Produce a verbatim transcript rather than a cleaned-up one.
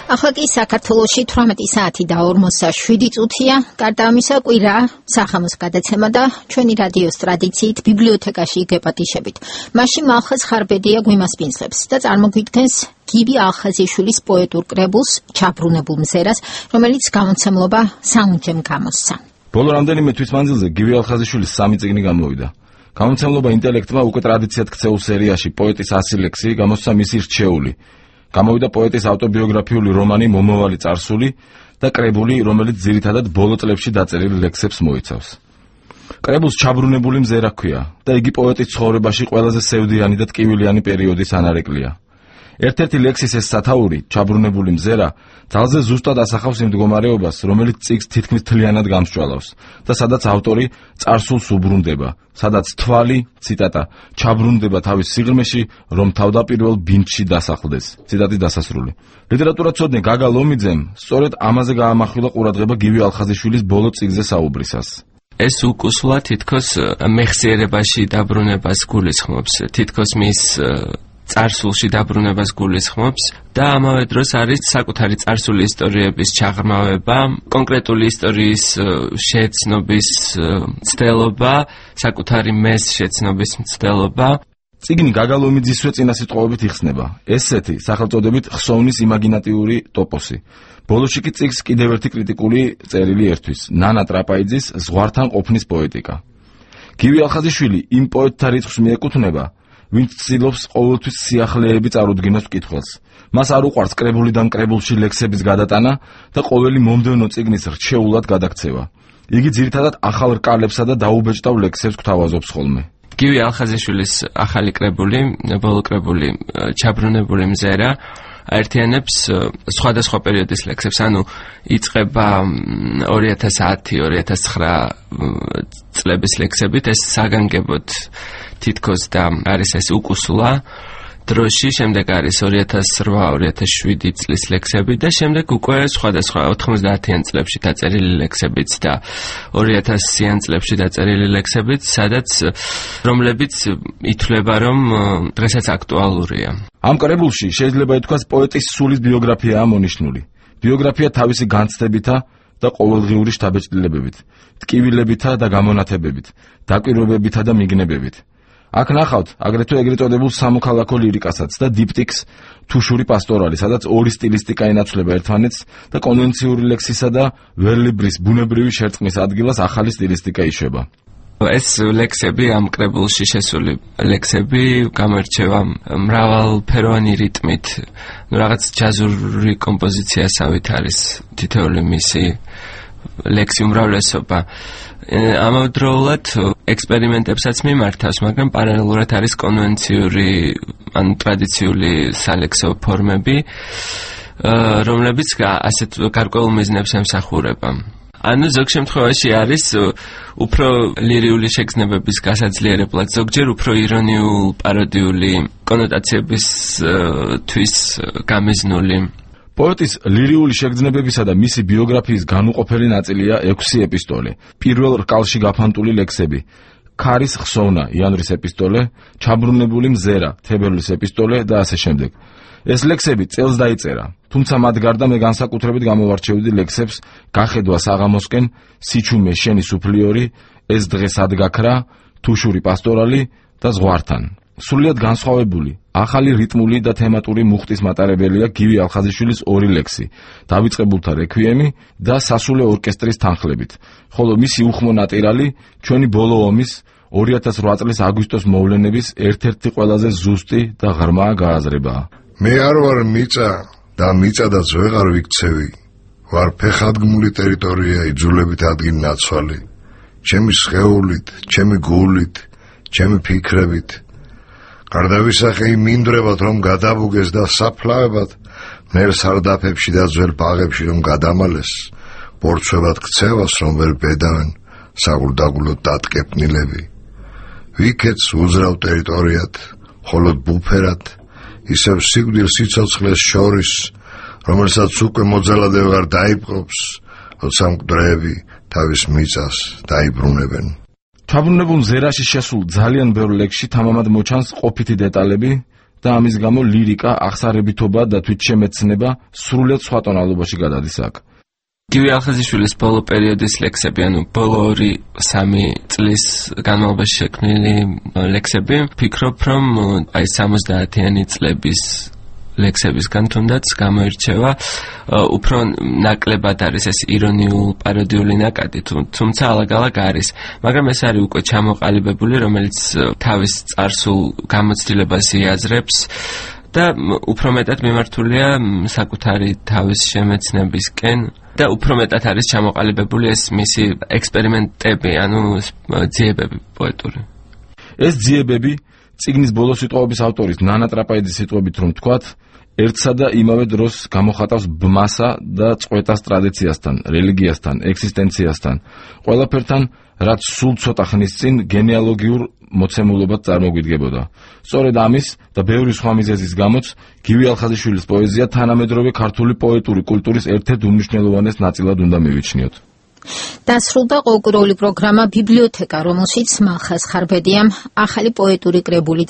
ახლა კი საქართველოში თვრამეტი საათი და ორმოცდაშვიდი წუთია. გარდა ამისა, კვირა სახამოს გადაცემა და ჩვენი რადიოს ტრადიციით ბიბლიოთეკაში გეპატიშებით. მაშინ მალხაზ ხარბედია გვიმასპინძლებს და წარმოგვიდგენს გივი ალხაზიშვილის პოეტურ კრებულს „ჩაბრუნებულ მზერას“, რომელიც გამოცემლობა საუნჯემ გამოსცა. ბოლო რამდენიმე თვის მანძილზე გივი ალხაზიშვილის სამი წიგნი გამოვიდა. გამოცემლობა ინტელექტმა უკვე ტრადიციად ქცეულ სერიაში პოეტის ასი ლექსი გამოსცა მისი რჩეული. გამოვიდა პოეტის ავტობიოგრაფიული რომანი „მომავალი წარსული“ და კრებული, რომელიც ძირითადად ბოლო წლებში დაწერილ ლექსებს მოიცავს. კრებულს „ჩაბრუნებული მზერა“ ჰქვია და იგი პოეტის ცხოვრებაში ყველაზე სევდიანი და ტკივილიანი პერიოდის ანარეკლია. ერთ-ერთი ლექსის ეს სათაური, „ჩაბრუნებული მზერა“, ძალზე ზუსტად ასახავს იმ მდგომარეობას, რომელიც წიგნს თითქმის მთლიანად გამსჭვალავს და სადაც ავტორი წარსულს უბრუნდება, სადაც თვალი, ციტატა, ჩაბრუნდება თავის სიღრმეში, რომ თავდაპირველ ბინდში დასახლდეს. ციტატის დასასრული. ლიტერატურაცოდნე გაგა ლომიძემ სწორედ ამაზე გაამახვილა ყურადღება გივი ალხაზიშვილის ბოლო წიგნზე საუბრისას. ეს უკუსლა თითქოს მეხსიერებაში დაბრუნებას გულისხმობს, თითქოს მის წარსულში დაბრუნებას გულისხმობს და ამავე დროს არის საკუთარი წარსული ისტორიების ჩაღრმავება, კონკრეტული ისტორიის შეცნობის მცდელობა, საკუთარი მეს შეცნობის მცდელობა. წიგნი გაგა ლომიძისვე წინასიტყვაობით იხსნება. ესეთი სახელწოდებით ხსოვნის იმაგინატიური ტოპოსი. ბოლოში კი წიგნს კიდევ ერთი კრიტიკული წერილი ერთვის. ნანა ტრაპაიძის „ზღვართან ყოფნის პოეტიკა“. გივი ალხაზიშვილი იმ პოეტთა რიცხვს მიეკუთვნება, ვინც ცდილობს ყოველთვის სიახლეები წარუდგინოს მკითხველს. მას არ უყვარს კრებულიდან კრებულში ლექსების გადატანა და ყოველი მომდევნო წიგნის რჩეულად გადაქცევა. იგი ძირითადად ახალ რკალებსა და დაუბეჭდავ ლექსებს გვთავაზობს ხოლმე. გივი ალხაზიშვილის ახალი კრებული, ბოლო კრებული „ჩაბრუნებული მზერა“ აერთიანებს სხვადასხვა პერიოდის ლექსებს, ანუ იწყება ორი ათას ათი ორი ათას ცხრა წლების ლექსებით, ეს საგანგებოდ თითქოს და არის ეს უკუსლა დროში, შემდეგ არის ორი ათას რვა ორი ათას შვიდი წლის ლექსები და შემდეგ უკვე სხვადასხვა ოთხმოცდაათიან წლებში დაწერილი ლექსებიც და ორი ათასიან წლებში დაწერილი ლექსებიც, სადაც რომლებიც ითვლება, რომ დღესაც აქტუალურია. ამ კრებულში შეიძლება ითქვას პოეტის სულის ბიოგრაფიაა მონიშნული. ბიოგრაფია თავისი განცდებითა და ყოველდღიური შთაბეჭდილებებით, ტკივილებითა და გამონათებებით, დაკვირვებებითა და მიგნებებით. აქ ნახავთ აგრეთვე ეგრეთ წოდებულ სამოქალაქო ლირიკასაც და დიპტიქს „თუშური პასტორალი“, სადაც ორი სტილისტიკა ინაცვლება ერთმანეთს და კონვენციური ლექსისა და ვერლიბრის ბუნებრივი შერწყმის ადგილას ახალი სტილისტიკა იშვება. ეს ლექსები, ამ კრებულში შესული ლექსები გამოირჩევა მრავალფეროვანი რიტმით, რაღაც ჯაზური კომპოზიციასავით არის თითოეული მისი ლექსი უმრავლესობა. ამავდროულად ექსპერიმენტებსაც მიმართავს, მაგრამ პარალელურად არის კონვენციური ან ტრადიციული სალექსო ფორმები, რომლებიც ასეთ გარკვეულ მიზნებს ემსახურება. ანუ ზოგ შემთხვევაში არის უფრო ლირიული შეგრძნებების გასაძლიერებლად, ზოგჯერ უფრო ირონიულ პაროდიული კონოტაციებისთვის გამიზნული. პოეტის ლირიული შეგრძნებებისა და მისი ბიოგრაფიის განუყოფელი ნაწილია ექვსი ეპისტოლე. პირველ რკალში გაფანტული ლექსები: „ქარის ხსოვნა“ იანვრის ეპისტოლე, „ჩაბრუნებული მზერა“ თებერვლის ეპისტოლე და ასე შემდეგ. ეს ლექსები წელს დაიწერა, თუმცა მათ გარდა მე განსაკუთრებით გამოვარჩევდი ლექსებს „გახედვა საღამოსკენ“, „სიჩუმე შენი სუფლიორი“, „ეს დღე სად გაქრა“, „თუშური პასტორალი“ და „ზღვართან“. სრულიად განსხვავებული, ახალი რიტმული და თემატური მუხტის მატარებელია გივი ალხაზიშვილის ორი ლექსი, „დავიწყებულთა რექვიემი“ და „სასულე ორკესტრის თანხლებით“, ხოლო მისი უხმო ნატირალი ჩვენი ბოლო ომის ორი ათას რვა წლის აგვისტოს მოვლენების ერთ-ერთი ყველაზე ზუსტი და ღრმა გააზრებაა. მე არ ვარ მიწა და მიწადაც ვეღარ ვიქცევი, ვარ ფეხადგმული ტერიტორია იძულებით ადგილ ნაცვალი, ჩემი სხეულით, ჩემი გულით, ჩემი ფიქრებით. გარდავისახე იმ მინდვრებად, რომ გადაბუგეს და საფლავებად, მერ სარდაფებში და ძველ ბაღებში რომ გადამალეს, ბორცვებად ქცევას რომ ვერ ბედავენ, საგულდაგულოდ დატკეპნილები. ვიქეთს უძრავ ტერიტორიად, ხოლოდ ბუფერად, ისევ სიკვდილ სიცოცხლეს შორის, რომელსაც უკვე მოძალადე ვეღარ დაიპყრობს, როცა მკვდრეები თავის მიწას და ამის გამო ლირიკა, აღსარებითობა და თვითშემეცნება სრულიად სხვა ტონალობაში გადადის აქ. გივი ალხაზიშვილის ბოლო პერიოდის ლექსები, ანუ ბოლო ორი სამი წლის განმავლობაში შექმნილი ლექსები, ვფიქრობ, რომ აი სამოცდაათიანი წლების ლექსებისგან თუნდაც გამოირჩევა, უფრო ნაკლებად არის ეს ირონიულ პაროდიული ნაკადი, თუმცა ალაგ-ალაგ არის, მაგრამ ეს არის უკვე ჩამოყალიბებული, რომელიც თავის წარსულ გამოცდილებას იაზრებს და უფრო მეტად მიმართულია საკუთარი თავის შემეცნებისკენ და უფრო მეტად არის ჩამოყალიბებული ეს მისი ექსპერიმენტები, ანუ ძიებები პოეტური. ეს ძიებები წიგნის ბოლო სიტყვების ავტორის ნანა ტრაპაიძის სიტყვებით რომ ვთქვათ, ერთსა და იმავე დროს გამოხატავს ბმასა და წყვეტას ტრადიციასთან, რელიგიასთან, ექსისტენციასთან, ყველაფერთან, რაც სულ ცოტა ხნის წინ გენეალოგიურ მოცემულობად წარმოგვიდგებოდა. სწორედ ამის და ბევრი სხვა მიზეზის გამოც გივი ალხაზიშვილის პოეზია თანამედროვე ქართული პოეტური კულტურის ერთ-ერთ უმნიშვნელოვანეს ნაწილად უნდა მივიჩნიოთ. დასრულდა ყოველკვირეული პროგრამა ბიბლიოთეკა, რომელშიც მალხაზ ხარბედიამ ახალი პოეტური კრებული